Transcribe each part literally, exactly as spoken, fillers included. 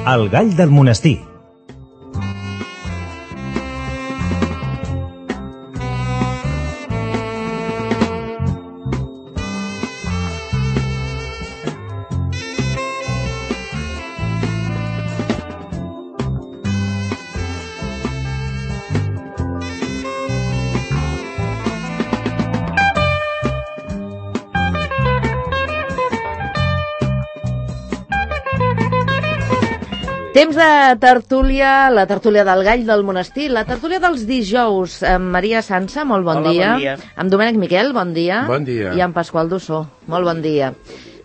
El gall del monestir. Temps de tertúlia, la tertúlia del gall del monestir, la tertúlia dels dijous. Amb Maria Sansa, molt bon Hola, dia. bon dia. Amb Domènec Miquel, bon dia. Bon dia. I amb Pasqual Dussó, molt bon dia.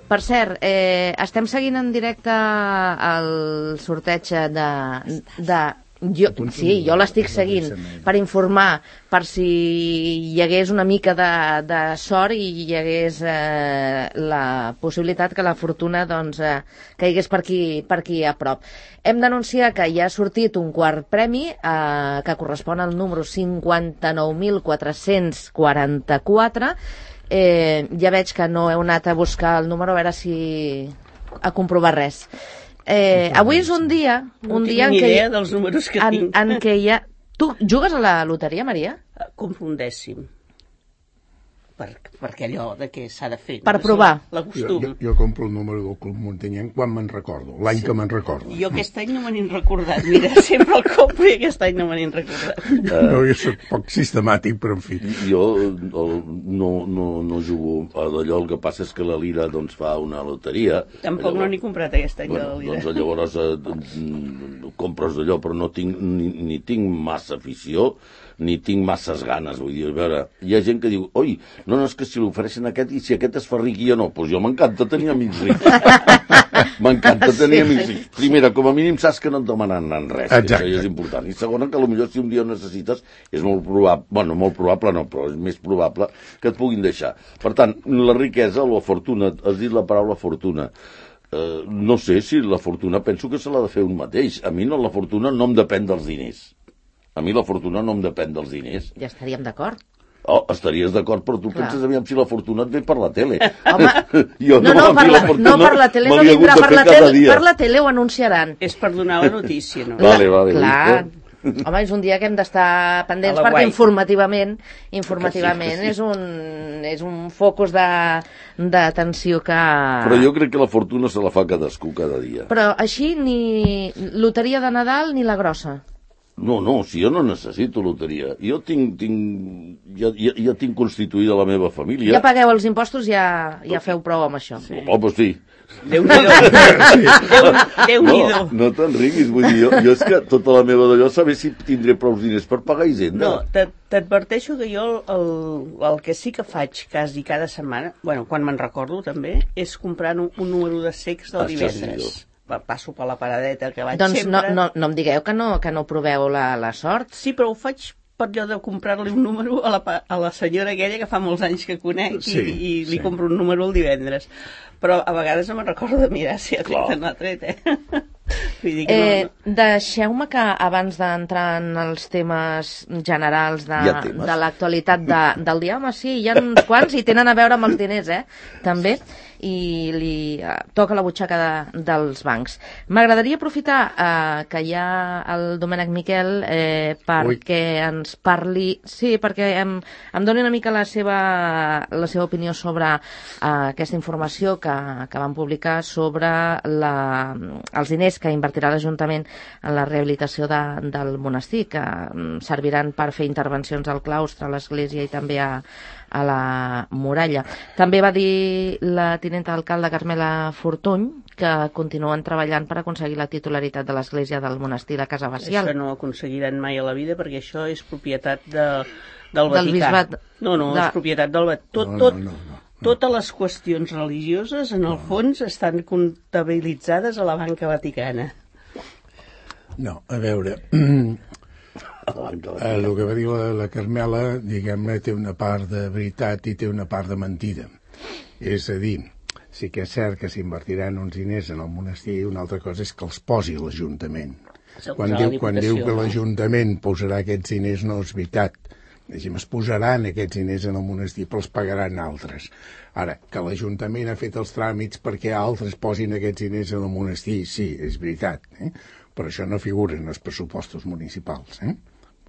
Per cert, eh, estem seguint en directe el sorteig de... de jo, sí, jo l'estic seguint per informar, per si hi hagués una mica de, de sort i hi hagués eh, la possibilitat que la fortuna doncs, eh, caigués per aquí, per aquí a prop. Hem d'anunciar que ja ha sortit un quart premi eh, que correspon al número cinquanta-nou mil quatre-cents quaranta-quatre. Eh, ja veig que no heu anat a buscar el número a veure si a comprovar res. Eh, avui és un dia, un no dia en tinc ni què, idea dels números que en, tinc. en què hi ha... Tu jugues a la loteria, Maria? Confundèssim. Per, perquè allò de què s'ha de fer. Per no? provar. La costum. Jo, jo compro el número del Club Muntanyenc quan me'n recordo, l'any sí. que me'n recordo. Jo aquest any no me n'he recordat. Mira, sempre el compro i aquest any no me n'he recordat. Uh, no, jo soc poc sistemàtic, però en fi. Jo el, no, no, no jugo a d'allò, el que passa és que la Lira doncs, fa una loteria. Tampoc llavors, no n'he comprat aquest any bueno, de la Lira. Doncs llavors eh, compres d'allò, però no tinc, ni, ni tinc massa afició, ni tinc masses ganes, vull dir, a veure, hi ha gent que diu, oi, no, no, és que si l'ofereixen aquest i si aquest es fa ric i jo no, doncs jo m'encanta tenir amics rics. M'encanta tenir sí. amics rics. Primera, com a mínim saps que no et demanen res, que això és important. I segona, que potser si un dia ho necessites, és molt probable, bueno, molt probable no, però és més probable que et puguin deixar. Per tant, la riquesa o la fortuna, has dit la paraula fortuna, Uh, no sé si la fortuna penso que se l'ha de fer un mateix. A mi no, la fortuna no em depèn dels diners. A mi la fortuna no em depèn dels diners. Ja estaríem d'acord. Oh, estaries d'acord, però tu Clar. penses aviam si la fortuna et ve per la tele. Home, jo no, no, per la, no per la tele, no vindrà per la tele, per la tele ho anunciaran. És per donar la notícia, no? Vale, vale. Clar. Home, és un dia que hem d'estar pendents perquè guai. informativament, informativament sí, sí. és un, és un focus d'atenció que... Però jo crec que la fortuna se la fa cadascú cada dia. Però així ni loteria de Nadal ni la grossa. No, no, si jo no necessito loteria. Jo tinc, tinc ja, ja, ja tinc constituïda la meva família. Ja pagueu els impostos, ja, ja feu prou amb això. Sí. Oh, doncs sí. Déu-n'hi-do. Déu-n'hi-do. No, no te'n riguis, vull dir, jo, jo és que tota la meva d'allò saber si tindré prou diners per pagar Hisenda. No, t'adverteixo que jo el, el que sí que faig quasi cada setmana, bueno, quan me'n recordo també, és comprar un, un número de cecs del divendres. Passo per la paradeta que vaig doncs sempre. Doncs no, no, no em digueu que no, que no proveu la, la sort. Sí, però ho faig per allò de comprar-li un número a la, a la senyora aquella que fa molts anys que conec sí, i, i li sí. compro un número el divendres. Però a vegades no me'n recordo de mirar si ha tret o no ha tret, eh? Vull dir que eh no, no. Deixeu-me que abans d'entrar en els temes generals de, temes? de l'actualitat de, del dia, home, sí, hi ha uns quants i tenen a veure amb els diners, eh? També. I li eh, toca la butxaca de, dels bancs. M'agradaria aprofitar eh, que hi ha el Domènec Miquel eh, perquè Ui. ens parli, sí, perquè em, em doni una mica la seva, la seva opinió sobre eh, aquesta informació que, que van publicar sobre la, els diners que invertirà l'Ajuntament en la rehabilitació de, del monestir, que um, serviran per fer intervencions al claustre, a l'església i també a a la muralla. També va dir la tinenta d'alcalde Carmela Fortuny que continuen treballant per aconseguir la titularitat de l'església del monestir de Casa Bacial. Això no ho aconseguiran mai a la vida perquè això és propietat de, del Vaticà. Del bisbat. No, no, de... és propietat del Vaticà. Tot, tot, no, no, no, no. Totes les qüestions religioses, en el fons, estan comptabilitzades a la banca vaticana. No, a veure... Eh, el que va dir la, la Carmela, diguem-ne, té una part de veritat i té una part de mentida. És a dir, sí que és cert que s'invertiran uns diners en el monestir, una altra cosa és que els posi l'Ajuntament. Quan diu, quan diu que l'Ajuntament posarà aquests diners no és veritat. diguem, es posaran aquests diners en el monestir, però els pagaran altres. Ara, que l'Ajuntament ha fet els tràmits perquè altres posin aquests diners en el monestir, sí, és veritat, eh? Però això no figura en els pressupostos municipals, eh?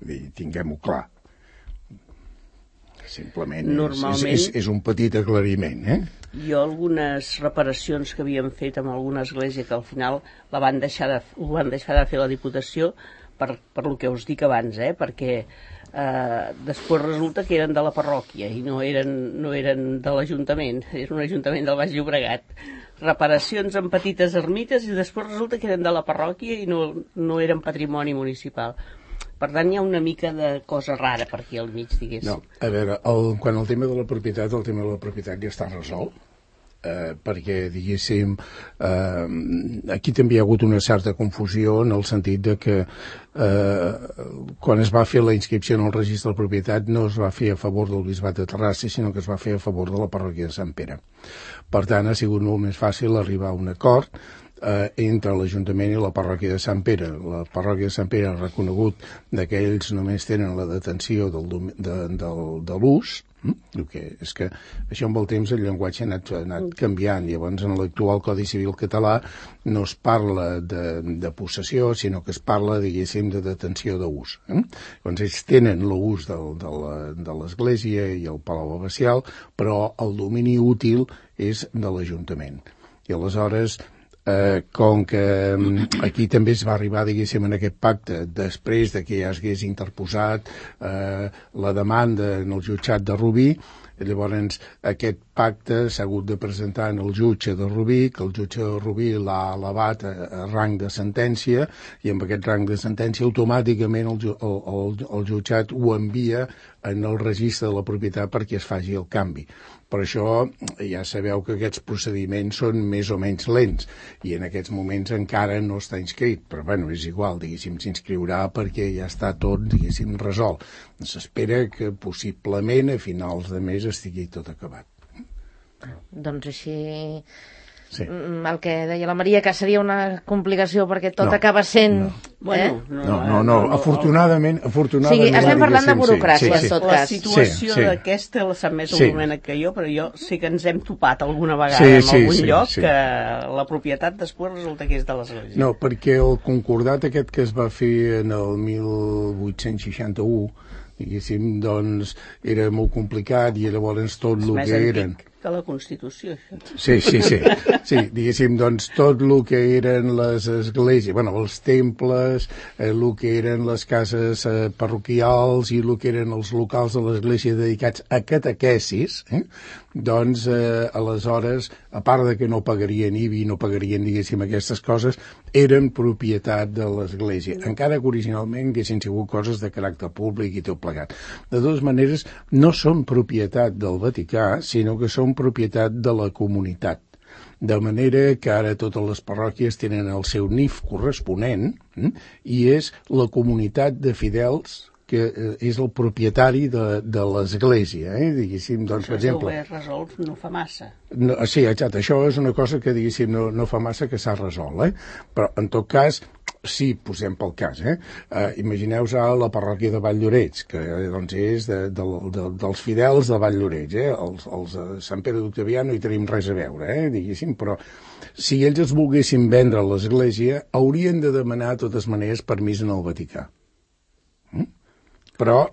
Vull dir, tinguem-ho clar. Simplement Normalment, és, és, és un petit aclariment, eh? Jo algunes reparacions que havíem fet amb alguna església que al final la van deixar de, ho van deixar de fer la Diputació per, per lo que us dic abans, eh? Perquè eh, després resulta que eren de la parròquia i no eren, no eren de l'Ajuntament, era un Ajuntament del Baix Llobregat. Reparacions en petites ermites i després resulta que eren de la parròquia i no, no eren patrimoni municipal. Per tant, hi ha una mica de cosa rara per aquí al mig, diguéssim. No, a veure, el, quan el tema de la propietat, el tema de la propietat ja està resolt, eh, perquè, diguéssim, eh, aquí també hi ha hagut una certa confusió en el sentit de que eh, quan es va fer la inscripció en el registre de propietat no es va fer a favor del Bisbat de Terrassa, sinó que es va fer a favor de la parròquia de Sant Pere. Per tant, ha sigut molt més fàcil arribar a un acord Eh, entre l'Ajuntament i la parròquia de Sant Pere. La parròquia de Sant Pere ha reconegut que ells només tenen la detenció del, de, del, de l'ús, el que és que això amb el temps el llenguatge ha anat, ha anat canviant. Llavors en l'actual Codi Civil català no es parla de, de possessió, sinó que es parla, diguéssim, de detenció d'ús. Eh? Llavors ells tenen l'ús de, de l'església i el palau abacial, però el domini útil és de l'Ajuntament. I aleshores Eh, com que aquí també es va arribar, diguéssim, en aquest pacte després de que ja s'hagués interposat eh, la demanda en el jutjat de Rubí, llavors aquest pacte s'ha hagut de presentar en el jutge de Rubí, que el jutge de Rubí l'ha elevat a, a rang de sentència, i amb aquest rang de sentència automàticament el, el, el, el jutjat ho envia en el registre de la propietat perquè es faci el canvi. Per això ja sabeu que aquests procediments són més o menys lents i en aquests moments encara no està inscrit, però bueno, és igual, diguéssim, s'inscriurà perquè ja està tot, diguéssim, resolt. S'espera que possiblement a finals de mes estigui tot acabat. Doncs així... Sí. El que deia la Maria, que seria una complicació perquè tot no, acaba sent... No. Bueno, eh? no, no, no, no, afortunadament... afortunadament sí, estem parlant de burocràcia, sí, sí, en tot la cas. La situació sí, sí. d'aquesta la sap més sí. el moment que jo, però jo sé que ens hem topat alguna vegada sí, en sí, algun sí, lloc sí. que la propietat després resulta que és de l'església. No, perquè el concordat aquest que es va fer en el mil vuit-cents seixanta-u, diguéssim, doncs era molt complicat i llavors tot el que eren... que la Constitució, això. Sí, sí, sí. Sí, diguéssim, doncs, tot el que eren les esglésies, bueno, els temples, eh, el que eren les cases eh, parroquials i el que eren els locals de l'església dedicats a catequesis, eh, doncs, eh, aleshores, a part de que no pagarien I B I, no pagarien, diguéssim, aquestes coses, eren propietat de l'església, encara que originalment haguessin sigut coses de caràcter públic i tot plegat. De totes maneres, no són propietat del Vaticà, sinó que són propietat de la comunitat. De manera que ara totes les parròquies tenen el seu N I F corresponent eh, i és la comunitat de fidels que eh, és el propietari de, de l'església, eh? Diguéssim, doncs, per exemple... Això ho he resolt no fa massa. No, sí, exacte, això és una cosa que, diguéssim, no, no fa massa que s'ha resolt, eh? Però, en tot cas, sí, posem pel cas, eh? Uh, imagineu-vos a la parròquia de Valldoreix, que doncs és de, de, de, dels fidels de Valldoreix, eh? Els, els de Sant Pere d'Octavià no hi tenim res a veure, eh? Diguéssim, però si ells es volguessin vendre a l'església, haurien de demanar, de totes maneres, permís en el Vaticà. Mm? Però,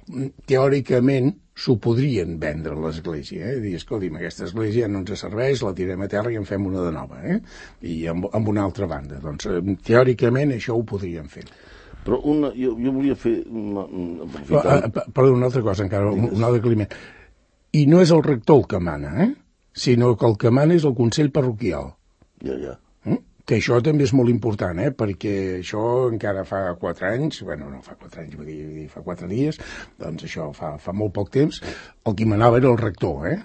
teòricament, s'ho podrien vendre a l'església, eh? Dir, escolti'm, aquesta església no ens serveix, la tirem a terra i en fem una de nova, eh? I amb, amb una altra banda. Doncs, teòricament, això ho podrien fer. Però una, jo, jo volia fer... Una, però, uh, perdó, una altra cosa encara, un, un altre aclariment. I no és el rector el que mana, eh? Sinó que el que mana és el Consell Parroquial. Ja, ja. Mm? Que això també és molt important, eh? Perquè això encara fa quatre anys, bueno, no fa quatre anys, vull dir, fa quatre dies, doncs això fa, fa molt poc temps, el qui manava era el rector, eh?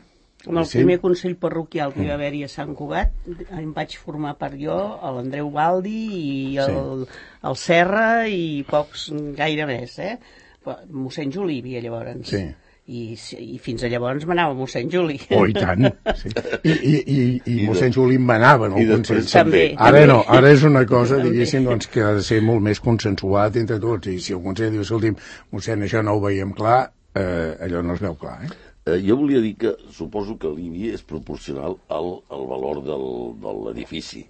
En el primer Consell Parroquial que hi va haver-hi a Sant Cugat, em vaig formar part jo, l'Andreu Baldi i el, sí. el Serra i pocs, gaire més, eh? Mossèn Juli hi havia llavors. Sí. I, i fins a llavors manava mossèn Juli. Oh, i tant. Sí. I, i, i, i mossèn Juli manava en el Consell. També, ara també. no, ara és una cosa, diguéssim, doncs, que ha de ser molt més consensuat entre tots. I si el Consell diu, escolti'm, mossèn, això no ho veiem clar, eh, allò no es veu clar, eh? Eh, jo volia dir que suposo que l'I B I és proporcional al, al valor del, de l'edifici.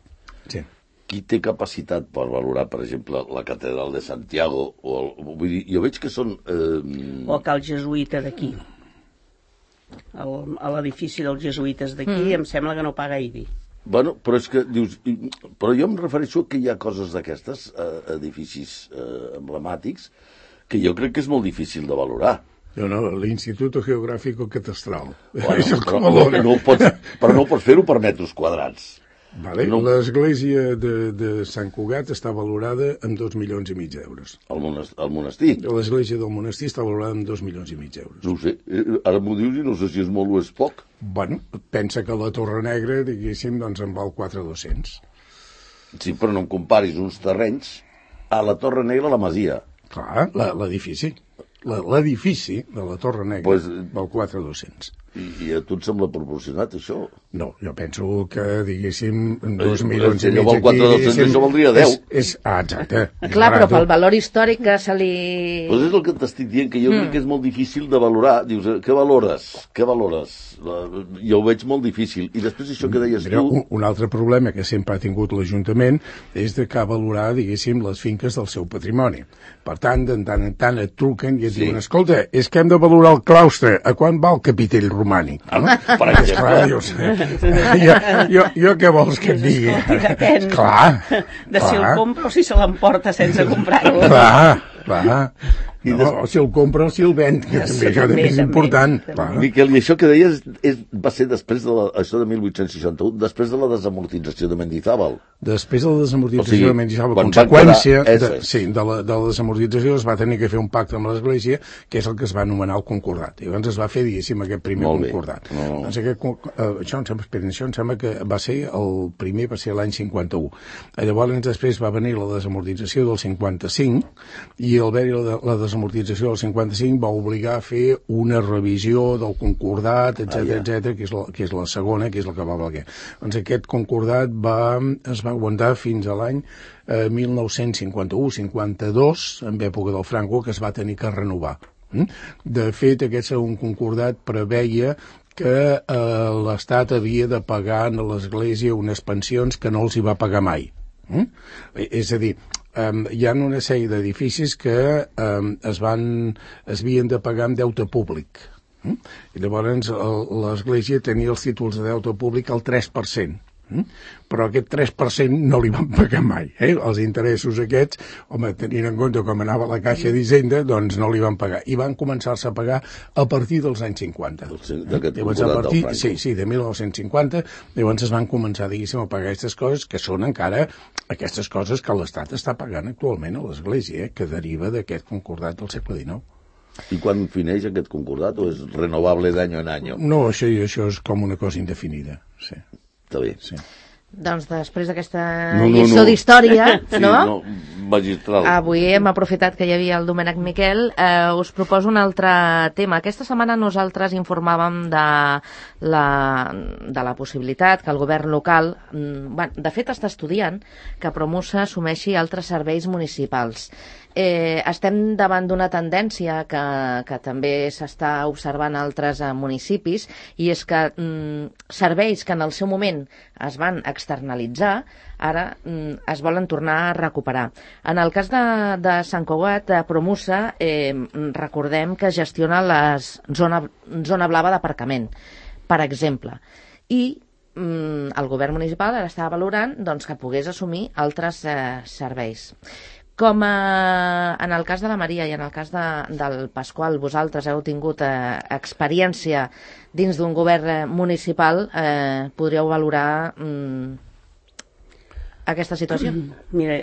Sí. Qui té capacitat per valorar, per exemple, la catedral de Santiago? O el, vull dir, jo veig que són... Eh... O el cal jesuïta d'aquí. El, a l'edifici dels jesuïtes d'aquí mm. em sembla que no paga I B I. Bueno, però és que dius... Però jo em refereixo que hi ha coses d'aquestes, eh, edificis eh, emblemàtics, que jo crec que és molt difícil de valorar. No, no, l'Instituto Geográfico Catastral. Bueno, és el però, no, no pots, però no pots fer-ho per metres quadrats. Vale. No. L'església de, de Sant Cugat està valorada amb dos milions i mig d'euros. El, monestir, el monestir? L'església del monestir està valorada amb dos milions i mig d'euros. No ho sé, ara m'ho dius i no sé si és molt o és poc. Bueno, pensa que la Torre Negra, diguéssim, doncs en val quatre mil dos-cents. Sí, però no em comparis uns terrenys a la Torre Negra a la Masia. Clar, l'edifici. L'edifici de la Torre Negra pues, val quatre mil dos-cents. I, I a tu et sembla proporcionat, això? No, jo penso que, diguéssim, dos milions i mig aquí... quatre mil dos-cents, això valdria deu. És, és, ah, exacte. Clar, però pel valor històric que se li... Pues és el que t'estic dient, que jo mm. crec que és molt difícil de valorar. Dius, què valores? Què valores? La, jo ho veig molt difícil. I després això que deies Mira, tu... Un, un altre problema que sempre ha tingut l'Ajuntament és de que valorar, diguéssim, les finques del seu patrimoni. Per tant, de tant en tant et truquen i et sí. diuen, escolta, és que hem de valorar el claustre. A quan va el capitell romànic? No? Per exemple. Esclar, jo, jo, jo, jo què vols que et digui? Depèn clar, de clar. si el compra o si se l'emporta sense comprar-lo. Clar, clar. No, o si el compra o si el ven, que també, això també és important. També. Miquel, i això que deies és, va ser després de la, això de mil vuit-cents seixanta-u, després de la desamortització de Mendizábal. Després de la desamortització o sigui, de Mendizábal, conseqüència de, sí, de, la, de la desamortització es va tenir que fer un pacte amb l'Església, que és el que es va anomenar el concordat. I llavors es va fer, diguéssim, aquest primer Molt concordat. No. Doncs aquest, uh, això, em sembla, espera, això em sembla que va ser el primer, va ser l'any cinquanta-u. Llavors després va venir la desamortització del cinquanta-cinc, i al haver-hi la, la desamortització del cinquanta-cinc va obligar a fer una revisió del concordat, etcètera, ah, ja. etcètera, que és, la, que és la segona, que és la que va valer. Doncs aquest concordat va, es va aguantar fins a l'any eh, mil nou-cents cinquanta-u cinquanta-dos, en època del Franco, que es va tenir que renovar. De fet, aquest segon concordat preveia que eh, l'Estat havia de pagar a l'Església unes pensions que no els hi va pagar mai. Mm? És a dir, Um, hi ha una sèrie d'edificis que um, es van, es havien de pagar amb deute públic. Mm? I llavors l'Església tenia els títols de deute públic al tres per cent. Mm? Però aquest tres per cent no li van pagar mai. Eh? Els interessos aquests, home, tenint en compte com anava la Caixa d'Hisenda, doncs no li van pagar. I van començar-se a pagar a partir dels anys cinquanta. Llavors, a partir, sí, sí, de mil nou-cents cinquanta, llavors es van començar, diguéssim, a pagar aquestes coses, que són encara aquestes coses que l'Estat està pagant actualment a l'Església, eh? Que deriva d'aquest concordat del segle dinou. I quan fineix aquest concordat, o és renovable d'any en any? No, això, això és com una cosa indefinida, sí. Està bé. Sí. Doncs després d'aquesta no, no, lliçó no. d'història, sí, no? no? Magistral. Avui hem aprofitat que hi havia el Domènec Miquel. Eh, us proposo un altre tema. Aquesta setmana nosaltres informàvem de la, de la possibilitat que el govern local, bueno, de fet està estudiant, que Promusa assumeixi altres serveis municipals. Eh, estem davant d'una tendència que, que també s'està observant a altres eh, municipis, i és que mm, serveis que en el seu moment es van externalitzar, ara mm, es volen tornar a recuperar. En el cas de, de Sant Cugat, de Promusa, eh, recordem que gestiona la zona, zona blava d'aparcament, per exemple, i mm, el govern municipal ara està valorant doncs, que pogués assumir altres eh, serveis. Com a, en el cas de la Maria i en el cas de, del Pasqual, vosaltres heu tingut eh, experiència dins d'un govern municipal, eh, podríeu valorar mm, aquesta situació? Mira,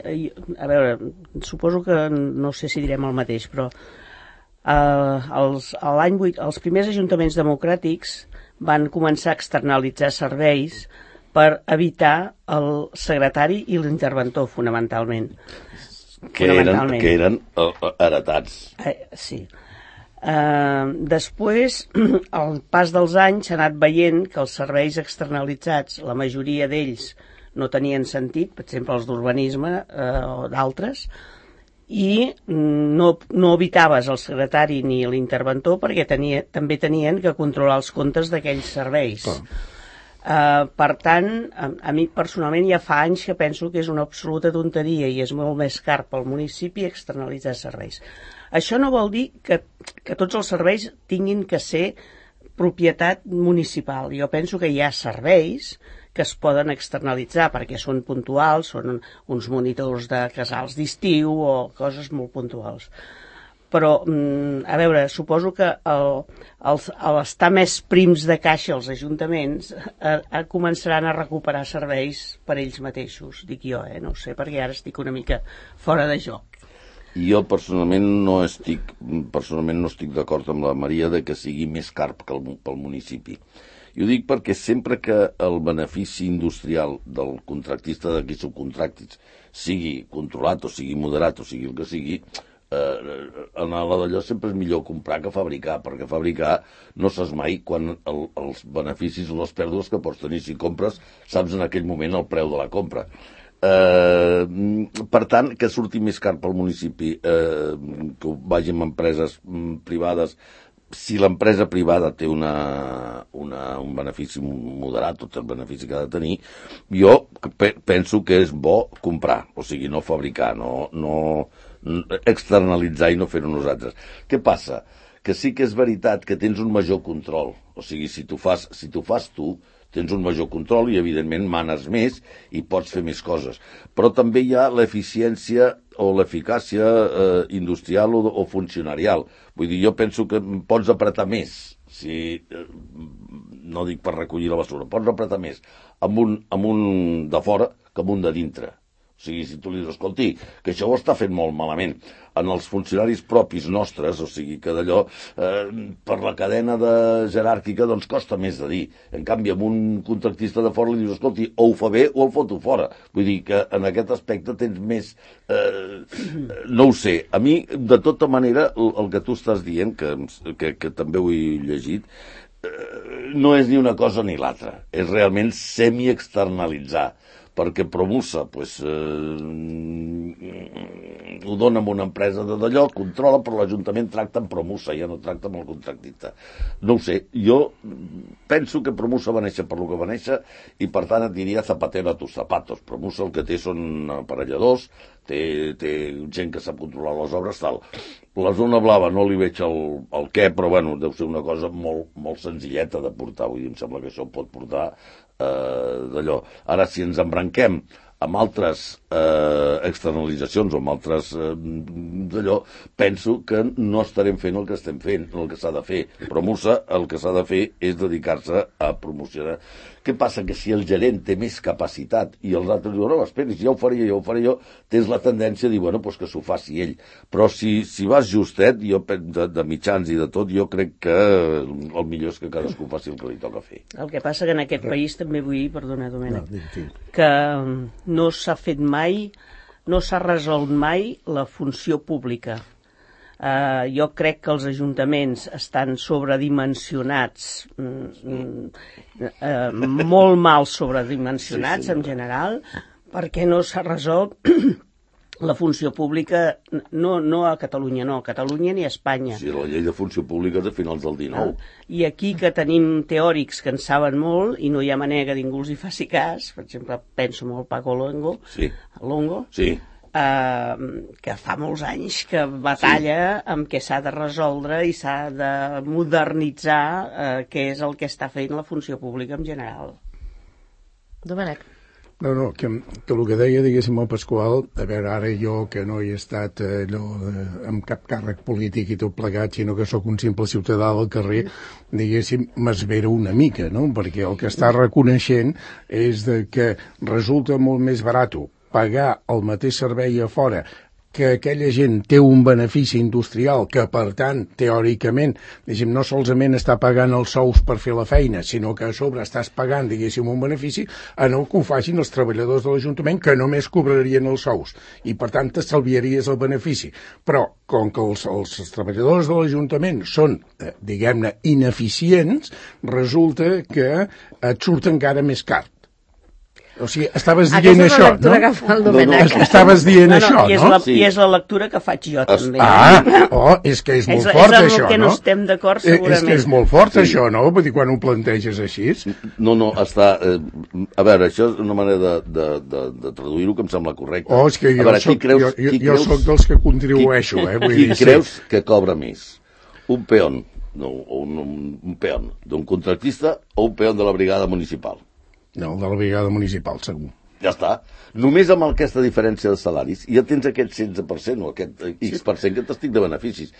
a veure, suposo que no sé si direm el mateix, però eh, els, l'any vuit, els primers ajuntaments democràtics van començar a externalitzar serveis per evitar el secretari i l'interventor, fonamentalment. Que eren, que eren uh, heretats. Eh, sí. Uh, després, al pas dels anys, s'ha anat veient que els serveis externalitzats, la majoria d'ells no tenien sentit, per exemple els d'urbanisme uh, o d'altres, i no, no evitaves el secretari ni l'interventor perquè tenia, també tenien que controlar els comptes d'aquells serveis. Oh. Uh, per tant, a, a mi personalment ja fa anys que penso que és una absoluta tonteria i és molt més car pel municipi externalitzar serveis. Això no vol dir que, que tots els serveis tinguin que ser propietat municipal. Jo penso que hi ha serveis que es poden externalitzar perquè són puntuals, són uns monitors de casals d'estiu o coses molt puntuals. Però, a veure, suposo que el, el, el estar més prims de caixa els ajuntaments a, a començaran a recuperar serveis per ells mateixos, dic jo, eh? No ho sé, perquè ara estic una mica fora de joc. Jo personalment no estic personalment no estic d'acord amb la Maria de que sigui més car que el, pel municipi. I ho dic perquè sempre que el benefici industrial del contractista de qui subcontractis sigui controlat o sigui moderat o sigui el que sigui, eh, en la d'allò sempre és millor comprar que fabricar, perquè fabricar no saps mai quan el, els beneficis o les pèrdues que pots tenir. Si compres, saps en aquell moment el preu de la compra. Eh, per tant, que surti més car pel municipi, eh, que vagi amb empreses privades. Si l'empresa privada té una, una, un benefici moderat, tot el benefici que ha de tenir, jo pe penso que és bo comprar, o sigui, no fabricar, no, no externalitzar i no fer-ho nosaltres. Què passa? Que sí que és veritat que tens un major control, o sigui, si tu fas, si tu fas tu, tens un major control i, evidentment, manes més i pots fer més coses. Però també hi ha l'eficiència o l'eficàcia eh, industrial o, o funcionarial. Vull dir, jo penso que pots apretar més, si, eh, no dic per recollir la basura, pots apretar més amb un, amb un de fora que amb un de dintre. O sigui, si tu li dius, escolti, que això ho està fent molt malament. En els funcionaris propis nostres, o sigui, que d'allò, eh, per la cadena de jeràrquica, doncs costa més de dir. En canvi, amb un contractista de fora li dius, escolti, o ho fa bé o el foto fora. Vull dir que en aquest aspecte tens més... Eh, no ho sé. A mi, de tota manera, el, el que tu estàs dient, que, que, que també ho he llegit, eh, no és ni una cosa ni l'altra. És realment semi-externalitzar. Perquè Promusa pues, eh, ho dona a una empresa de d'allò, controla, però l'Ajuntament tracta amb Promusa, ja no tracta amb el contractista. No ho sé, jo penso que Promusa va néixer per lo que va néixer i per tant et diria zapatero a tus zapatos. Promusa el que té són aparelladors, té, té gent que sap controlar les obres, tal. La zona blava no li veig el, el què, però bueno, deu ser una cosa molt, molt senzilleta de portar, vull dir, em sembla que això pot portar eh, d'allò. Ara, si ens embranquem amb altres eh, externalitzacions o amb altres eh, d'allò, penso que no estarem fent el que estem fent, el que s'ha de fer. Promusa el que s'ha de fer és dedicar-se a promocionar. Què passa? Que si el gerent té més capacitat i els altres diuen, no, esperi, si ja ho faré jo, ja ho faré jo, tens la tendència a dir, bueno, doncs que s'ho faci ell. Però si, si vas justet, jo, de, de mitjans i de tot, jo crec que el millor és que cadascú faci el que li toca fer. El que passa que en aquest país també vull dir, perdona, Domènec, que no s'ha fet mai, no s'ha resolt mai la funció pública. Uh, jo crec que els ajuntaments estan sobredimensionats, mm, uh, molt mal sobredimensionats, sí, sí, en general, perquè no s'ha resolt la funció pública, no, no a Catalunya, no, a Catalunya ni a Espanya. Sí, la llei de funció pública és de finals del dinou. Uh, I aquí que tenim teòrics que en saben molt i no hi ha manera que ningú els hi faci cas, per exemple, penso en el Paco Longo, sí. Longo, sí. Uh, que fa molts anys que batalla sí. amb què s'ha de resoldre i s'ha de modernitzar uh, què és el que està fent la funció pública en general. Domènec. No, no, que, que el que deia, diguéssim, el Pasqual, a veure, ara jo que no he estat eh, no, eh, amb cap càrrec polític i tot plegat, sinó que sóc un simple ciutadà del carrer, diguéssim, m'esvera una mica, no? Perquè el que està reconeixent és de que resulta molt més barat pagar el mateix servei a fora, que aquella gent té un benefici industrial que, per tant, teòricament, diguéssim, no solament està pagant els sous per fer la feina, sinó que a sobre estàs pagant, diguéssim, un benefici, en el que ho facin els treballadors de l'Ajuntament, que només cobrarien els sous, i, per tant, t'estalviaries el benefici. Però, com que els, els treballadors de l'Ajuntament són, eh, diguem-ne, ineficients, resulta que et surt encara més car. O sigui, estaves dient això, no? Aquesta és la lectura que fa el Domènec. Estaves dient això, no? I és, la, no? sí. I és la lectura que faig jo, també. Ah, oh, és que és molt és, fort, és això, no? És el que no estem d'acord, segurament. És que és molt fort, sí. Això, no? Vull dir, quan ho planteges així... No, no, està... Eh, a veure, això és una manera de, de, de, de traduir-ho que em sembla correcte. Oh, és que jo, veure, soc, creus, jo, jo, jo creus, soc dels que contribueixo, qui, eh? Vull qui dir, creus sí. que cobra més? Un peón, no, un, un, un peón d'un contractista o un peón de la brigada municipal? No, el de la brigada municipal, segur. Ja està. Només amb aquesta diferència de salaris ja tens aquest setze per cent o aquest X per cent que t'estic de beneficis.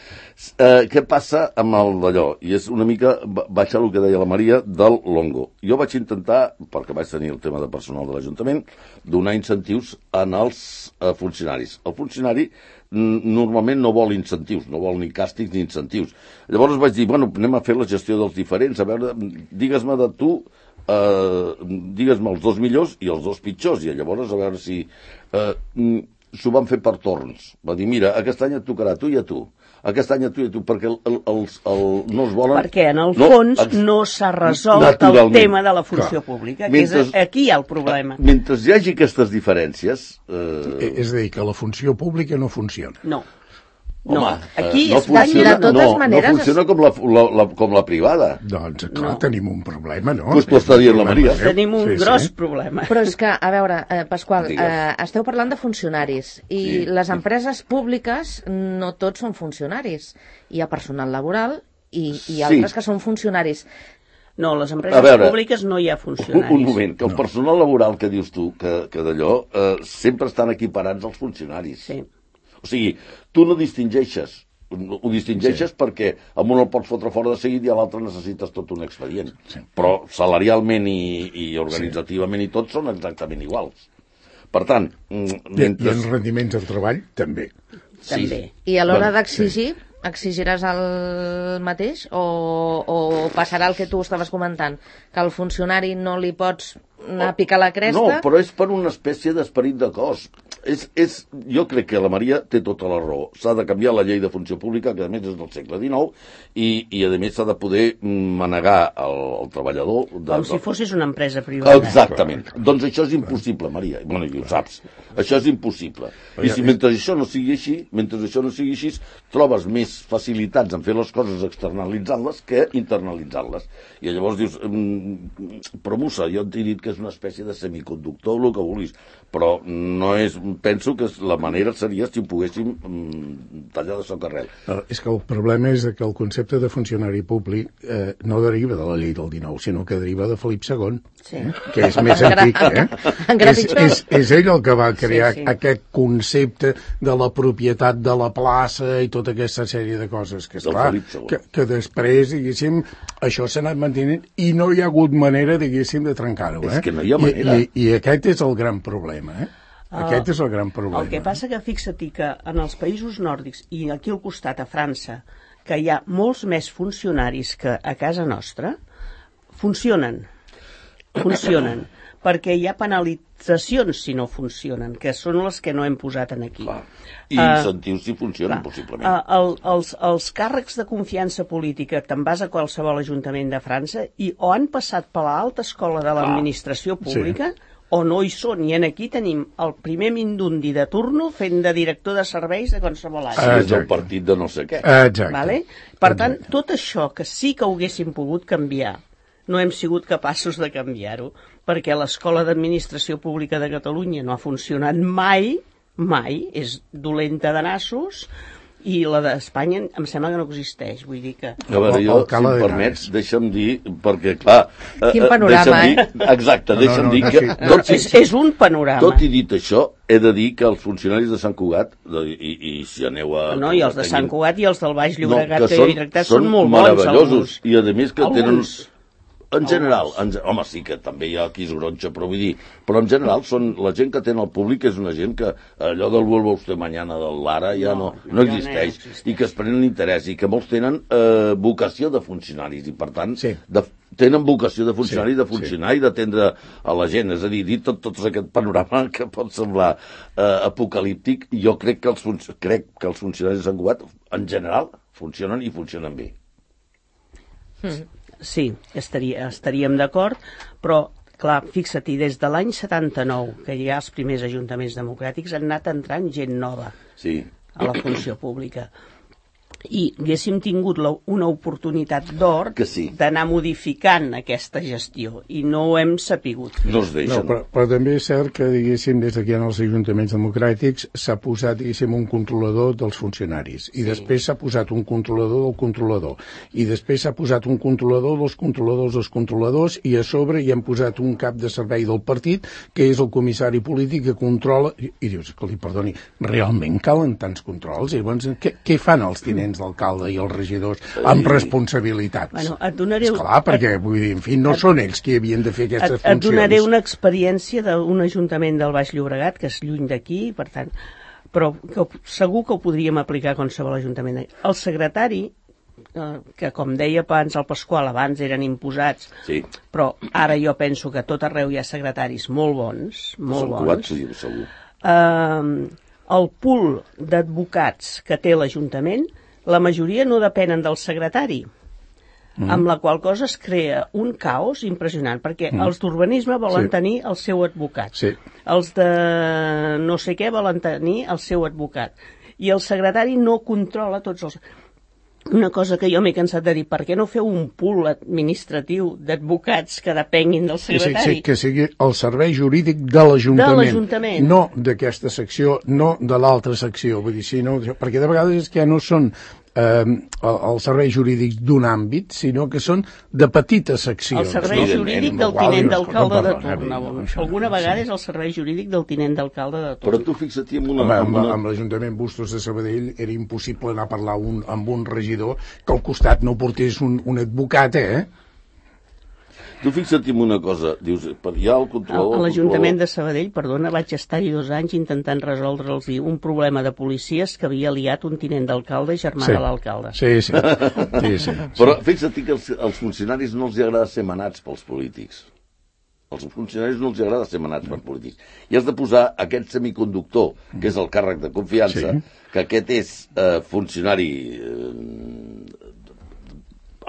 Eh, què passa amb el d'allò? I és una mica baixar el que deia la Maria del Longo. Jo vaig intentar, perquè vaig tenir el tema de personal de l'Ajuntament, donar incentius en els eh, funcionaris. El funcionari normalment no vol incentius, no vol ni càstigs ni incentius. Llavors vaig dir, bueno, anem a fer la gestió dels diferents, a veure, digues-me de tu, eh, digues-me els dos millors i els dos pitjors, i llavors a veure si... Eh, s'ho van fer per torns. Va dir, mira, aquest any et tocarà a tu i a tu. Aquest any a tu i a tu, perquè el, el, el, el, no es volen... Perquè en el fons no, ex... no s'ha resolt el tema de la funció Clar. Pública, que mentre, és aquí hi ha el problema. Mentre hi hagi aquestes diferències... Eh... És a dir, que la funció pública no funciona. No. Home, no, aquí no funciona, de totes no, maneres... no funciona com la, la, la, com la privada. Doncs, clar, no. tenim un problema, no? Pues t'ho està dient la Maria. Tenim un sí, gros sí. problema. Però és que, a veure, eh, Pasqual, eh, esteu parlant de funcionaris i sí, les sí. empreses públiques no tots són funcionaris. Hi ha personal laboral i, i altres sí. que són funcionaris. No, les empreses veure, públiques no hi ha funcionaris. Un, un moment, que el no. personal laboral que dius tu, que, que d'allò, eh, sempre estan equiparats als funcionaris. Sí. O sigui, tu no distingeixes, ho distingeixes sí. perquè amb un el pots fotre fora de seguit i a l'altre necessites tot un expedient. Sí. Però salarialment i, i organitzativament i tot són exactament iguals. Per tant... Mentre... I els rendiments del treball, també. Sí. També. I a l'hora d'exigir, sí. exigiràs el mateix o, o passarà el que tu estaves comentant? Que al funcionari no li pots anar a picar la cresta? No, però és per una espècie d'esperit de cos. És, és, jo crec que la Maria té tota la raó. S'ha de canviar la llei de funció pública, que a més és del segle dinou, i, i a més s'ha de poder manegar el, el treballador... De, Com si fossis una empresa privada. Exactament. Doncs això és impossible, Maria. Bueno, i ho saps. Això és impossible. I si mentre això no sigui així, mentre això no sigui així, trobes més facilitats en fer les coses externalitzant-les que internalitzant-les. I llavors dius, però Musa, jo t'he dit que és una espècie de semiconductor, el que vulguis, però no és... Penso que la manera seria si ho poguéssim mm, tallar de soc arrel. Uh, és que el problema és que el concepte de funcionari públic eh, no deriva de la llei del dinou, sinó que deriva de Felip segon, sí. eh, que és més antic. Eh? és, és, és ell el que va crear sí, sí. aquest concepte de la propietat de la plaça i tota aquesta sèrie de coses que, esclar, que, que després, diguéssim, això s'ha anat mantenint i no hi ha hagut manera, diguéssim, de trencar-ho. Eh? És que no hi ha manera. I, i, I aquest és el gran problema, eh? Aquest és el gran problema. El que passa que fixa-t'hi que en els països nòrdics i aquí al costat a França, que hi ha molts més funcionaris que a casa nostra, funcionen. Funcionen. perquè hi ha penalitzacions si no funcionen, que són les que no hem posat en aquí. Clar. I incentius uh, si funcionen, clar. Possiblement. Uh, el, els, els càrrecs de confiança política, te'n vas a qualsevol ajuntament de França i o han passat per l'alta escola de l'administració pública, sí, o no hi són, i en aquí tenim el primer mindundi de turno fent de director de serveis de qualsevol any. Sí, és el partit de no sé què. Exacte. Vale? Per tant, tot això que sí que ho haguéssim pogut canviar, no hem sigut capaços de canviar-ho, perquè l'escola d'administració pública de Catalunya no ha funcionat mai, mai, és dolenta de nassos, i la d'Espanya em sembla que no existeix, vull dir que... A veure, jo, si em permets, deixa'm dir, perquè, clar... Quin panorama, eh? Dir, exacte, no, deixa'm no, no, dir que... No, no, és, és un panorama. Tot i dit això, he de dir que els funcionaris de Sant Cugat, i, i si aneu a... No, i els de Sant Cugat i els del Baix Llobregat, no, que, que són, són, són molt meravellosos, bons, i a més que alguns. Tenen... En general, en, home, sí que també hi ha qui es gronxa, però vull dir, però en general són, la gent que té el públic és una gent que allò del vuelva usted mañana del Lara ja no, no, no existeix, no i que es prenen interès, i que molts tenen eh, vocació de funcionaris, i per tant, sí. de, tenen vocació de funcionari, sí, de funcionar sí. i d'atendre a la gent, és a dir, dit tot, tot aquest panorama que pot semblar eh, apocalíptic, jo crec que, els crec que els funcionaris de Sant Cugat, en general, funcionen i funcionen bé. Mm. Sí, estaria, estaríem d'acord, però clar, fixa't, des de l'any setanta-nou, que hi ha els primers ajuntaments democràtics, han anat entrant gent nova sí. a la funció pública. I haguéssim tingut la, una oportunitat d'or sí. d'anar modificant aquesta gestió, i no ho hem sapigut. No es deixen. No, però, però també és cert que, diguéssim, des d'aquí en els ajuntaments democràtics s'ha posat, diguéssim, un controlador dels funcionaris, i sí. després s'ha posat un controlador del controlador, i després s'ha posat un controlador dels controladors dels controladors, i a sobre hi han posat un cap de servei del partit, que és el comissari polític que controla, i, i dius, escolti, perdoni, realment calen tants controls? I llavors, què, què fan els tinents d'alcalde i els regidors amb responsabilitats? Bueno, et donaré... Esclar, perquè, vull dir, en fi, no et, són ells qui havien de fer aquestes et, funcions. Et donaré una experiència d'un ajuntament del Baix Llobregat, que és lluny d'aquí, per tant, però que, segur que ho podríem aplicar a qualsevol ajuntament. El secretari, eh, que com deia abans el Pasqual, abans eren imposats, sí. però ara jo penso que a tot arreu hi ha secretaris molt bons, molt Són bons. Són segur. Eh, el pool d'advocats que té l'Ajuntament, la majoria no depenen del secretari, mm. amb la qual cosa es crea un caos impressionant, perquè mm. els d'urbanisme volen sí. tenir el seu advocat, sí. els de no sé què volen tenir el seu advocat, i el secretari no controla tots els... Una cosa que jo m'he cansat de dir, per què no feu un pool administratiu d'advocats que depenguin del secretari? Sí, sí, que sigui el servei jurídic de l'Ajuntament, no d'aquesta secció, no de l'altra secció, vull dir, sí, no, perquè de vegades és que ja no són eh, els serveis jurídics d'un àmbit, sinó que són de petites seccions. El servei no? jurídic del tinent d'alcalde de torn. Alguna vegada és el servei jurídic del tinent d'alcalde de torn. Però tu fixa't amb una... Home, amb, una... amb l'Ajuntament Bustos de Sabadell era impossible anar a parlar un, amb un regidor que al costat no portés un, un advocat, eh? Tu fixa't en una cosa, dius, hi ha el controlador... A l'Ajuntament de Sabadell, perdona, vaig estar-hi dos anys intentant resoldre'ls un problema de policies que havia liat un tinent d'alcalde i germà sí. de l'alcalde. Sí, sí. sí, sí. Però fixa't que els, els funcionaris no els agrada ser manats pels polítics. Els funcionaris no els agrada ser manats pels polítics. I has de posar aquest semiconductor, que és el càrrec de confiança, sí. que aquest és eh, funcionari... Eh,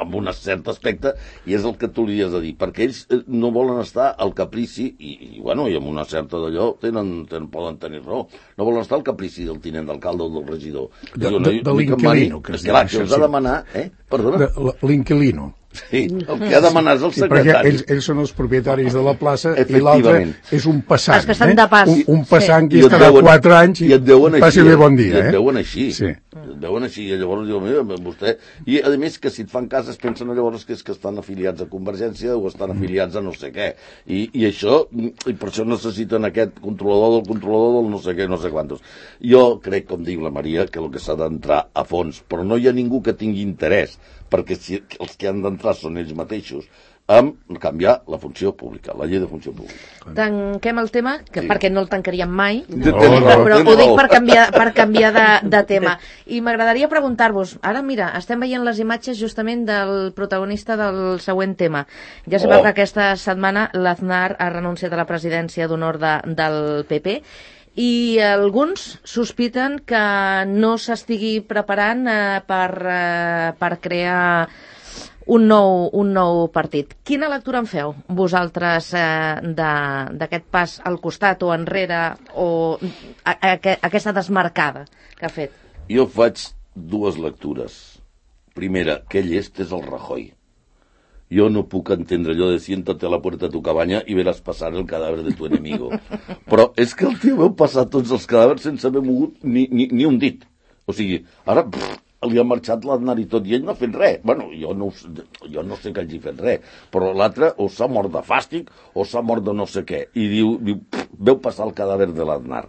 amb un cert aspecte, i és el que tu li has de dir, perquè ells no volen estar al caprici, i, i bueno, i amb una certa d'allò tenen, tenen, poden tenir raó, no volen estar al caprici del tinent d'alcalde o del regidor. De, de, de, de l'inquilino, que es diu. Clar, que els ha de demanar, eh? Perdona? L'inquilino. Sí, el que ha de demanar és el secretari. Perquè ells, ells són els propietaris de la plaça i l'altre és un passant. Els que estan de pas. Un, un passant sí. que és cada quatre anys i, i et deuen així. Passi bé bon dia. I et eh? deuen així. Sí. Et deuen així. I llavors diu, mira, vostè... I a més que si et fan cas es pensen llavors que és que estan afiliats a Convergència o estan afiliats a no sé què. I, i això, i per això necessiten aquest controlador del controlador del no sé què, no sé quantos. Jo crec, com diu la Maria, que el que s'ha d'entrar a fons, però no hi ha ningú que tingui interès, perquè si els que han d'entrar són ells mateixos, amb canviar la funció pública, la llei de funció pública. Tanquem el tema, que sí. perquè no el tancaríem mai, no, no, no, però ho dic per canviar, per canviar de, de tema. I m'agradaria preguntar-vos, ara mira, estem veient les imatges justament del protagonista del següent tema. Ja sabeu oh. que aquesta setmana l'Aznar ha renunciat a la presidència d'honor de, del P P, i alguns sospiten que no s'estigui preparant eh, per, eh, per crear un nou, un nou partit. Quina lectura en feu vosaltres eh, d'aquest pas al costat o enrere o a, a, a, aquesta desmarcada que ha fet? Jo faig dues lectures. Primera, que llest és el Rajoy. Jo no puc entendre allò de siéntate a la puerta de tu cabaña i veràs passar el cadàver de tu enemigo. Però és que el tio veu passar tots els cadàvers sense haver mogut ni, ni, ni un dit. O sigui, ara pff, li ha marxat l'Aznar i tot, i ell no ha fet res. Bueno, jo no, jo no sé que hagi fet res, però l'altre o s'ha mort de fàstic o s'ha mort de no sé què. I diu, diu pff, veu passar el cadàver de l'Aznar.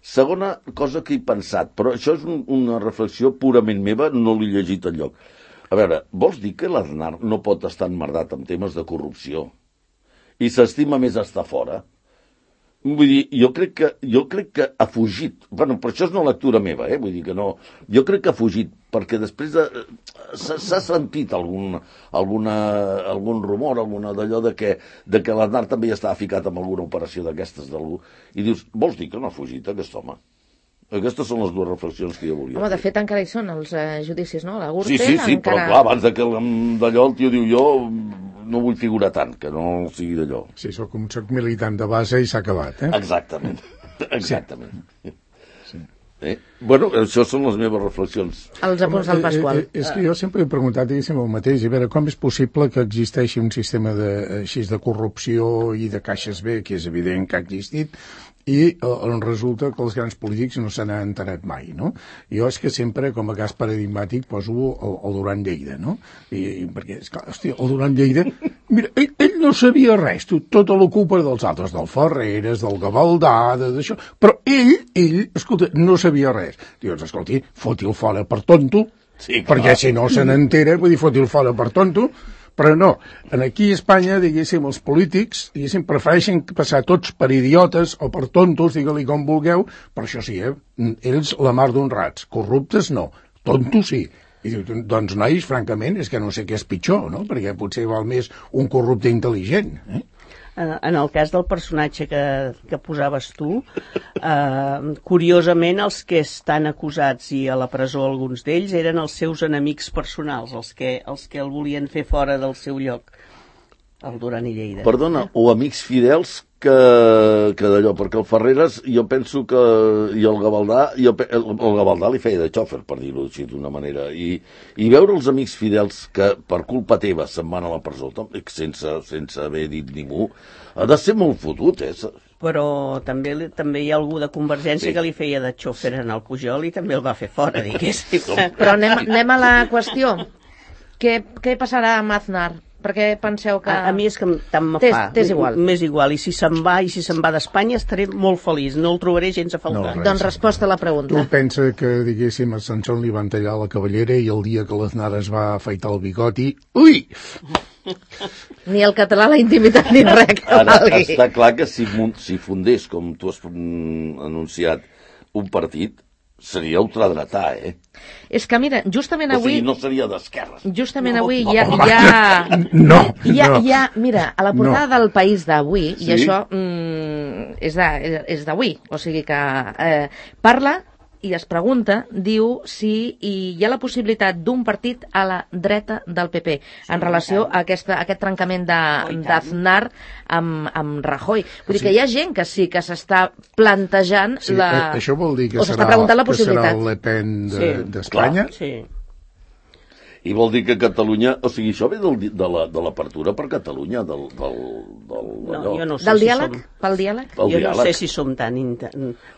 Segona cosa que he pensat, però això és un, una reflexió purament meva, no l'he llegit enlloc. A veure, vols dir que l'Aznar no pot estar emmerdat amb temes de corrupció i s'estima més estar fora? Vull dir, jo crec que, jo crec que ha fugit. Bueno, però això és una lectura meva, eh? Vull dir que no... Jo crec que ha fugit, perquè després de... s'ha sentit algun, alguna, algun rumor, alguna d'allò de que, de que l'Aznar també ja estava ficat en alguna operació d'aquestes d'algú. I dius, vols dir que no ha fugit aquest home? Aquestes són les dues reflexions que jo volia Home, de fet, encara hi són els eh, judicis, no? La Gürtel, sí, sí, sí, encara... però clar, abans de que d'allò el tio diu jo no vull figurar tant, que no sigui d'allò. Sí, soc un soc militant de base i s'ha acabat, eh? Exactament, exactament. Sí. Sí. Eh? Bueno, això són les meves reflexions. Els apunts del Pasqual. Eh, eh, és que jo sempre he preguntat, diguéssim, el mateix, a veure, com és possible que existeixi un sistema de, així de corrupció i de caixes B, que és evident que ha existit, i eh, resulta que els grans polítics no se n'han enterat mai, no? Jo és que sempre, com a cas paradigmàtic, poso el, el Duran Lleida, no? I, i perquè, esclar, hòstia, el Duran Lleida, mira, ell, ell no sabia res, tot, tota la culpa dels altres, del Ferreres, del Gavaldà, d'això, però ell, ell, escolta, no sabia res. Dius, escolti, foti-el fora per tonto, sí, perquè si no se n'entera, vull dir, foti-el fora per tonto, però no, aquí a Espanya, diguéssim, els polítics, diguéssim, prefereixen passar tots per idiotes o per tontos, digue-li com vulgueu, però això sí, eh? Ells la mar d'honrats, corruptes no, tontos sí. I diu, doncs, nois, francament, és que no sé què és pitjor, no? Perquè potser val més un corrupte intel·ligent, eh? En el cas del personatge que, que posaves tu, eh, curiosament els que estan acusats i a la presó alguns d'ells eren els seus enemics personals, els que, els que el volien fer fora del seu lloc, el Duran i Lleida. Perdona, o amics fidels que, que d'allò, perquè el Ferreres jo penso que, i el Gavaldà, jo, el, el Gavaldà li feia de xòfer, per dir-ho així d'una manera, i, i veure els amics fidels que per culpa teva se'n van a la presó, sense, sense haver dit ningú, ha de ser molt fotut, eh? Però també, també hi ha algú de Convergència sí. que li feia de xòfer en el Pujol i també el va fer fora, diguéssim. Però anem, anem a la qüestió. Què, què passarà amb Aznar? Perquè penseu que... A, a mi és que tant me fa. T'és igual. M'és igual. I si se'n va, i si se'n va d'Espanya, estaré molt feliç. No el trobaré gens a faltar. No, doncs resposta a la pregunta. Tu pensa que, diguéssim, a Sansón li van tallar la cabellera i el dia que l'Aznar es va afaitar el bigoti... Ui! Ni el català, la intimitat, ni res que Ara, valgui. està clar que si, si fundés, com tu has anunciat, un partit, seria ultradretà, eh? És que, mira, justament avui... O sigui, no seria d'esquerres. Justament no, avui no, hi ha... home, Hi ha, no, hi ha, no. hi ha, mira, a la portada no. del País d'avui, Sí? i això mm, és de- és d'avui, o sigui que eh, parla i es pregunta, diu, si hi ha la possibilitat d'un partit a la dreta del P P en relació a, aquesta, a aquest trencament de- d'Aznar amb, amb Rajoy. Vull dir que hi ha gent que sí que s'està plantejant Sí, la... eh, això vol dir que o s'està serà, preguntant la que serà possibilitat. el Le Pen Sí, d'Espanya? clar, sí. I vol dir que Catalunya... O sigui, això ve del, de la- de l'apertura per Catalunya, del... del, del No, allò. jo no sé Del si diàleg? som... Pel diàleg? Pel jo no diàleg. sé si som tan... Inter...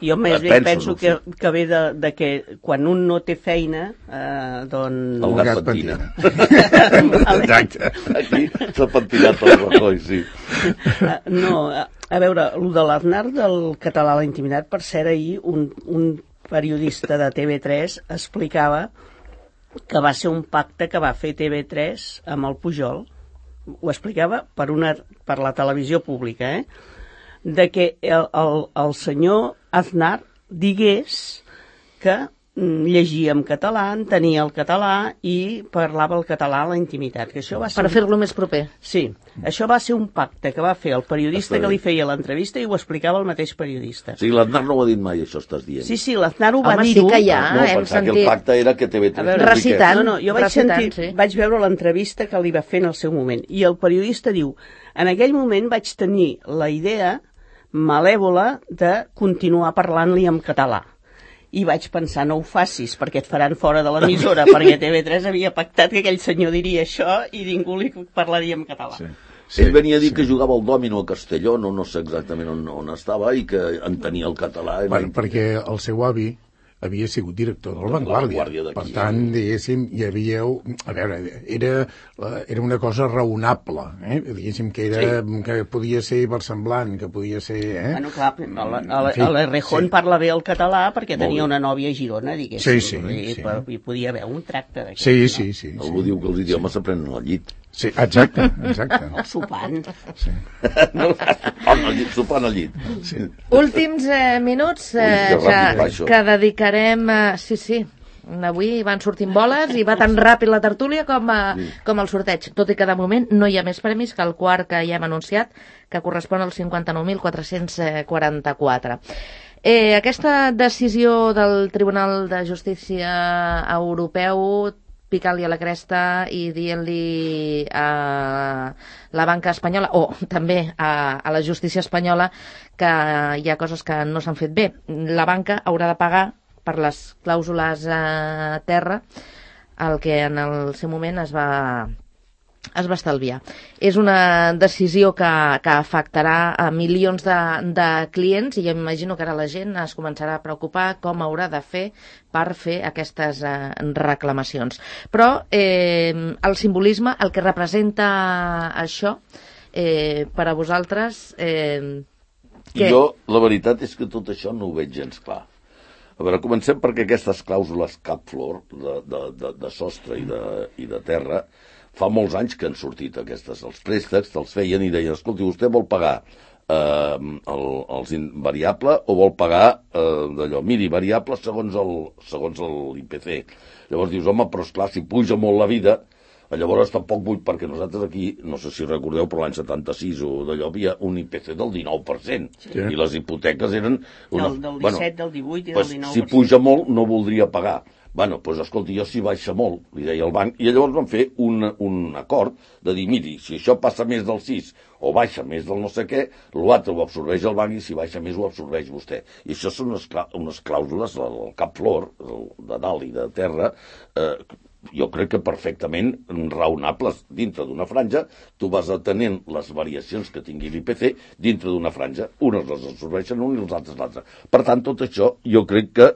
Jo més bé Penso, penso no que, sé. que ve de, de que quan un no té feina, eh, doncs... El El gat gat pentina. pentina. Exacte. Aquí s'ha pentinat el Rajoy, sí. Eh, no, a, a veure, el de l'Aznar del català a la intimitat, per cert, ahir un, un periodista de T V tres explicava que va ser un pacte que va fer T V tres amb el Pujol, ho explicava per, una, per la televisió pública, eh? De que el, el, el senyor Aznar digués que mm, llegia en català, entenia el català i parlava el català a la intimitat. Que això va ser Per fer-lo més proper. Sí, això va ser un pacte que va fer el periodista Està que bé. li feia l'entrevista i ho explicava el mateix periodista. O sigui, l'Aznar no ho ha dit mai, això estàs dient. Sí, sí, l'Aznar ho va Home, sí dir-ho. que hi ha, no, hem pensava que sentit... el pacte era que T V tres... A veure, no recitant. No, no, jo vaig, Recitant, sentir, sí. vaig veure l'entrevista que li va fer en el seu moment i el periodista diu, en aquell moment vaig tenir la idea malèvola de continuar parlant-li en català. I vaig pensar, no ho facis, perquè et faran fora de l'emissora, perquè T V tres havia pactat que aquell senyor diria això i ningú li parlaria en català. Sí. Sí, ell venia a dir sí. que jugava al dòmino a Castelló, no, no sé exactament on, on estava, i que entenia el català. Bueno, perquè el seu avi havia sigut director del Vanguardia. Vanguardia Per tant, diguéssim, hi havia... A veure, era, era una cosa raonable, eh? Diguéssim que, era, sí. que podia ser versemblant, que podia ser... Eh? Bueno, clar, l'Errejón sí. parla bé el català perquè tenia una nòvia a Girona, diguéssim. Sí, sí, i, sí. I podia haver un tracte d'aquest. Sí, sí, sí. Algú sí. diu que els idiomes s'aprenen al llit. Sí, exacte, exacte. O sopant. Sí. No, al llit, sopant al llit. Sí. Últims eh, minuts eh, Ui, que ràpid va, això. que, que dedicarem... Eh, sí, sí, avui van sortint boles i va tan ràpid la tertúlia com, eh, com el sorteig, tot i que de moment no hi ha més premis que el quart que ja hem anunciat, que correspon als cinquanta-nou mil quatre-cents quaranta-quatre. Eh, aquesta decisió del Tribunal de Justícia Europeu picant-li a la cresta i dient-li a la banca espanyola, o també a, a la justícia espanyola, que hi ha coses que no s'han fet bé. La banca haurà de pagar per les clàusules a terra el que en el seu moment es va, es va estalviar. És una decisió que, que afectarà a milions de, de clients i jo imagino que ara la gent es començarà a preocupar com haurà de fer per fer aquestes eh, reclamacions. Però eh, el simbolisme, el que representa això, eh, per a vosaltres... Eh, que... Jo, la veritat és que tot això no ho veig gens clar. A veure, comencem perquè aquestes clàusules cap flor de, de, de, de sostre i de, i de terra, fa molts anys que han sortit aquestes. Els préstecs te'ls feien i deien, escolti, vostè vol pagar eh, el, els variable o vol pagar eh, d'allò, miri, variable segons el, segons l'I P C. Llavors dius, home, però esclar, si puja molt la vida, llavors tampoc vull, perquè nosaltres aquí, no sé si recordeu, però l'any setanta-sis o d'allò havia un I P C del dinou per cent, sí. I les hipoteques eren... Una... Del, del disset, bueno, del divuit i del pues, dinou per cent. Si puja molt, no voldria pagar. Bueno, doncs, pues, escolti, jo si baixa molt, li deia el banc, i llavors van fer un, un acord de dir, miri, si això passa més del sis o baixa més del no sé què, l'altre ho absorbeix el banc i si baixa més ho absorbeix vostè. I això són unes, unes clàusules, el cap flor, el de dalt i de terra, eh, jo crec que perfectament raonables dintre d'una franja, tu vas atenent les variacions que tingui l'I P C dintre d'una franja, unes les absorbeixen un i els altres l'altre. Per tant, tot això jo crec que,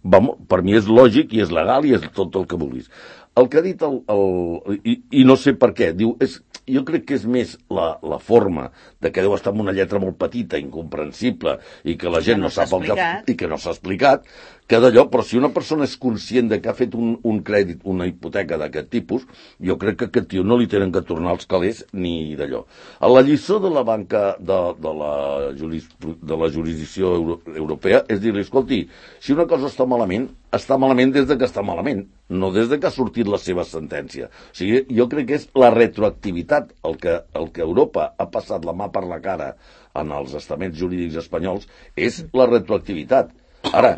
vamos, per mi és lògic i és legal i és tot el que vulguis. El que ha dit el... el i, i no sé per què, diu, és, jo crec que és més la, la forma de que deu estar amb una lletra molt petita, incomprensible, i que la gent no, no sap el que... i que no s'ha explicat, que d'allò, però si una persona és conscient de que ha fet un, un crèdit, una hipoteca d'aquest tipus, jo crec que aquest tio no li tenen que tornar els calés ni d'allò. A la lliçó de la banca de, de, la, juris, de la jurisdicció euro, europea és dir-li, escolti, si una cosa està malament, està malament des de que està malament, no des de que ha sortit la seva sentència. O sigui, jo crec que és la retroactivitat el que, el que Europa ha passat la mà per la cara en els estaments jurídics espanyols, és la retroactivitat. Ara,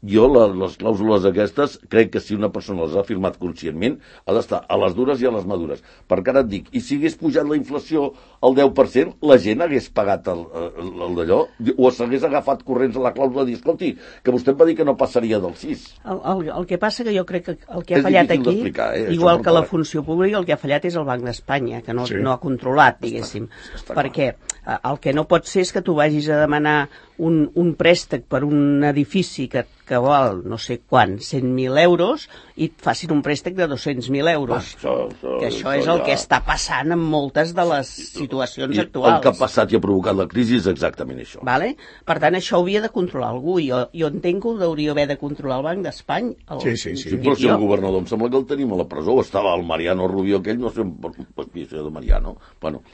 jo la, les clàusules aquestes crec que si una persona les ha firmat conscientment ha d'estar a les dures i a les madures, perquè ara et dic, i si hagués pujat la inflació al deu per cent, la gent hagués pagat el, el, el d'allò o s'hagués agafat corrents a la clàusula i dir, escolti, que vostè em va dir que no passaria del sis. El, el, el que passa que jo crec que el que ha és fallat aquí, eh, igual que la funció pública, el que ha fallat és el Banc d'Espanya, que no, sí. no ha controlat, diguéssim, està, està perquè clar. El que no pot ser és que tu vagis a demanar un, un préstec per un edifici que que val no sé quant, cent mil euros, i et facin un préstec de dos-cents mil euros. Ah, això, això, que això, això és el ja... que està passant en moltes de les situacions I actuals. El que ha passat i ha provocat la crisi és exactament això. Vale? Per tant, això hauria de controlar algú. Jo, jo entenc que ho hauria haver de controlar el Banc d'Espanya. El... Sí, sí, sí. sí però si el governador em sembla que el tenim a la presó, estava el Mariano Rubio aquell, no sé, això de Mariano, bueno...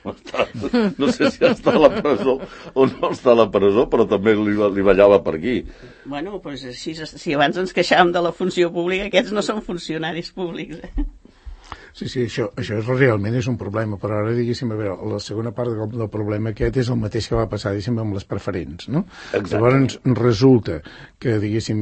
No sé si està a la presó o no està a la presó, però també li, li ballava per aquí. Bueno, doncs si, si abans ens queixàvem de la funció pública, aquests no són funcionaris públics. Eh? Sí, sí, això, això és, realment és un problema, però ara, diguéssim, a veure, la segona part del, del problema aquest és el mateix que va passar, diguéssim, amb les preferents, no? Exactament. Llavors resulta que, diguéssim,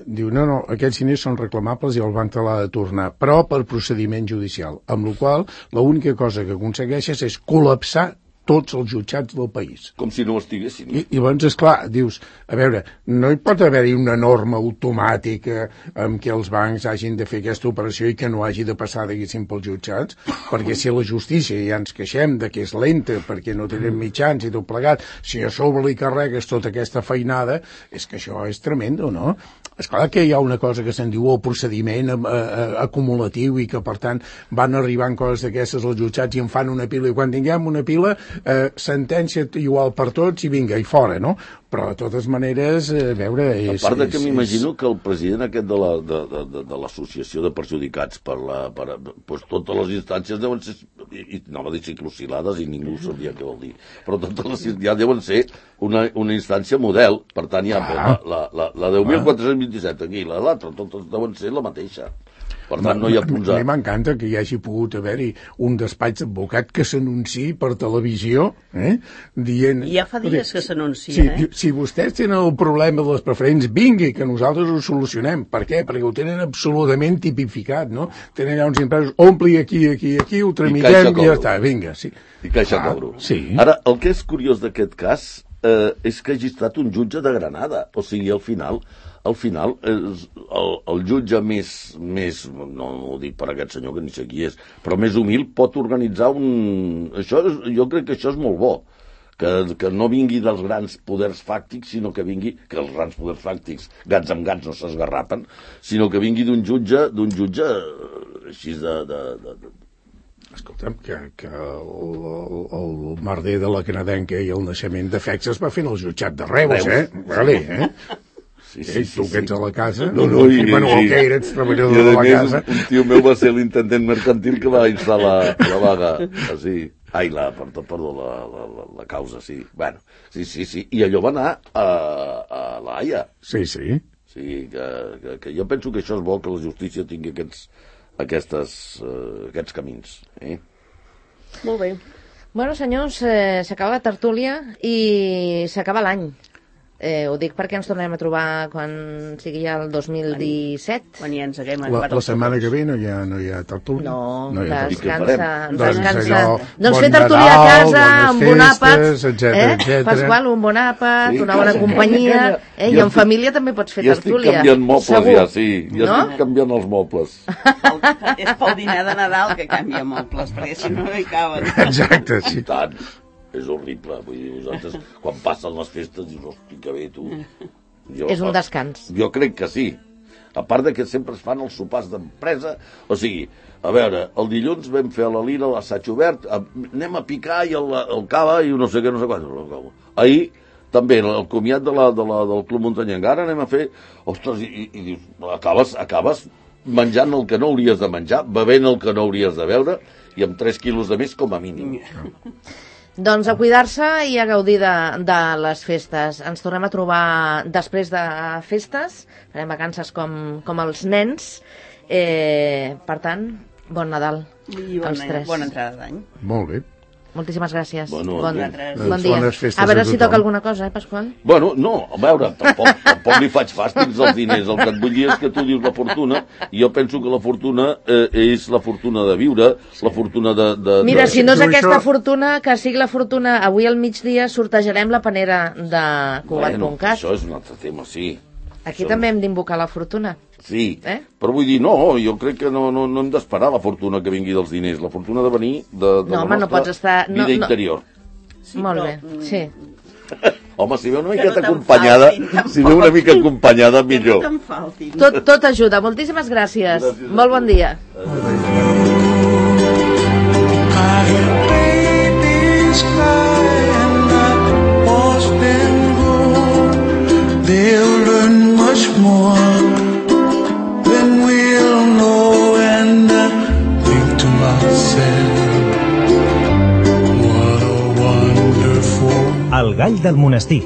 diu, no, no, aquests diners són reclamables i el banc te l'ha de tornar, però per procediment judicial, amb la qual l'única cosa que aconsegueixes és col·lapsar tots els jutjats del país. Com si no estiguessin. I, i llavors, esclar, dius, a veure, no hi pot haver-hi una norma automàtica amb què els bancs hagin de fer aquesta operació i que no hagi de passar, diguéssim, pels jutjats, perquè si la justícia ja ens queixem de que és lenta, perquè no tenen mitjans i tot plegat, si a sobre li carregues tota aquesta feinada, és que això és tremendo, no? Esclar que hi ha una cosa que se'n diu el procediment eh, eh, acumulatiu i que, per tant, van arribant coses d'aquestes als jutjats i en fan una pila, i quan tinguem una pila, eh, sentència igual per tots i vinga, i fora, no? Però, de totes maneres, a veure... És, a part de que és, m'imagino és... que el president aquest de la, de, de, de, de l'associació de perjudicats per la... Per, pues, totes les instàncies deuen ser... I, no va dir ciclosilades i ningú sabia què vol dir. Però totes les ja deuen ser una, una instància model. Per tant, hi ha ah. la, la, la, la deu mil quatre-cents vint-i-set aquí, la l'altra, totes deuen ser la mateixa. Per tant, no hi ha punts A. A mi m'encanta que hi hagi pogut haver-hi un despatx d'advocat que s'anunciï per televisió, eh? dient... Ja fa dies que s'anuncia, si, eh? Si vostès tenen el problema de les preferents, vingui, que nosaltres ho solucionem. Per què? Perquè ho tenen absolutament tipificat, no? Tenen allà uns impresos, ompli aquí, aquí, aquí, ho tramitem i, i ja està, vinga, sí. I caixa ah, cobro. Sí. Ara, el que és curiós d'aquest cas eh, és que hagi estat un jutge de Granada. O sigui, al final, al final és el, el jutge més, més, no ho dic per aquest senyor que ni sé qui és, però més humil pot organitzar un... Això és, jo crec que això és molt bo. Que, que no vingui dels grans poders fàctics, sinó que vingui, que els grans poders fàctics, gats amb gats no s'esgarrapen, sinó que vingui d'un jutge, d'un jutge així de... de, de, de... Escolta'm, que, que el, el, el merder de la canadenca i el naixement de Fex es va fer en el jutjat de Reus, eh? Vale, eh? Sí, sí, sí, tu que ets a la casa, no, no, i, bueno, sí. Que eres treballador de la casa. Un tio meu va ser l'intendent mercantil que va instal·lar la, la vaga, així. Ai, la, perdó, perdó la, la, la, la causa, sí. Bueno, sí, sí, sí. I allò va anar a, a la Haia. Sí, sí. Sí, que, que, que jo penso que això és bo, que la justícia tingui aquests, aquestes, uh, aquests camins. Eh? Molt bé. Bueno, senyors, eh, s'acaba la tertúlia i s'acaba l'any. Eh, ho dic perquè ens tornem a trobar quan sigui ja el dos mil disset. Quan ja ens haguem la, la setmana que ve no hi ha, no hi ha tertúlia? No, no descansa. Descansa. Doncs, doncs fer tertúlia a casa, amb bon àpat, eh? Pasqual, un bon àpat, sí, una bona companyia, eh? I en família també pots fer tertúlia. Ja estic canviant mobles, segur. Ja, sí. Ja no? Estic canviant els mobles. És pel dinar de Nadal que canvia mobles, perquè si no no hi caben. Exacte, sí. Tant. És horrible, vull dir, vosaltres, quan passen les festes, dius, hosti, que bé, tu. Jo, és un descans. Jo crec que sí. A part de que sempre es fan els sopars d'empresa, o sigui, a veure, el dilluns vam fer a la Lira l'assaig obert, anem a picar i el, el cava i no sé què, no sé quant. Ahir, també, el comiat de la, de la, del Club Muntanyenc, ara anem a fer, ostres, i, i, i dius, acabes, acabes menjant el que no hauries de menjar, bevent el que no hauries de beure, i amb tres quilos de més com a mínim. Doncs a cuidar-se i a gaudir de, de les festes. Ens tornem a trobar després de festes, farem vacances com, com els nens. Eh, per tant, bon Nadal I bon als tres. Bona entrada d'any. Molt bé. Moltíssimes gràcies. Bueno, bon, bon dia. A veure si toca alguna cosa, eh, Pasqual? Bueno, no, a veure, tampoc, tampoc li faig fàstics als diners. El que et vull dir és que tu dius la fortuna, i jo penso que la fortuna eh, és la fortuna de viure, sí. La fortuna de... de Mira, de... si no és aquesta fortuna, que sigui la fortuna, avui al migdia sortejarem la panera de Cugat punt cat. Bueno, això és un altre tema, sí. Aquí això... també hem d'invocar la fortuna. Sí, eh? Però vull dir, no, jo crec que no, no, no hem d'esperar la fortuna que vingui dels diners, la fortuna de venir de, de no, la home, nostra no pots estar... vida no, interior. Sí, Molt però... bé, sí. Home, si ve una miqueta no acompanyada, faltin, si ve una mica acompanyada, millor. Que no tot, tot ajuda. Moltíssimes gràcies. gràcies Molt bon dia. They'll learn much more than we'll know, and I think to myself, what a wonderful... El gall del monestir.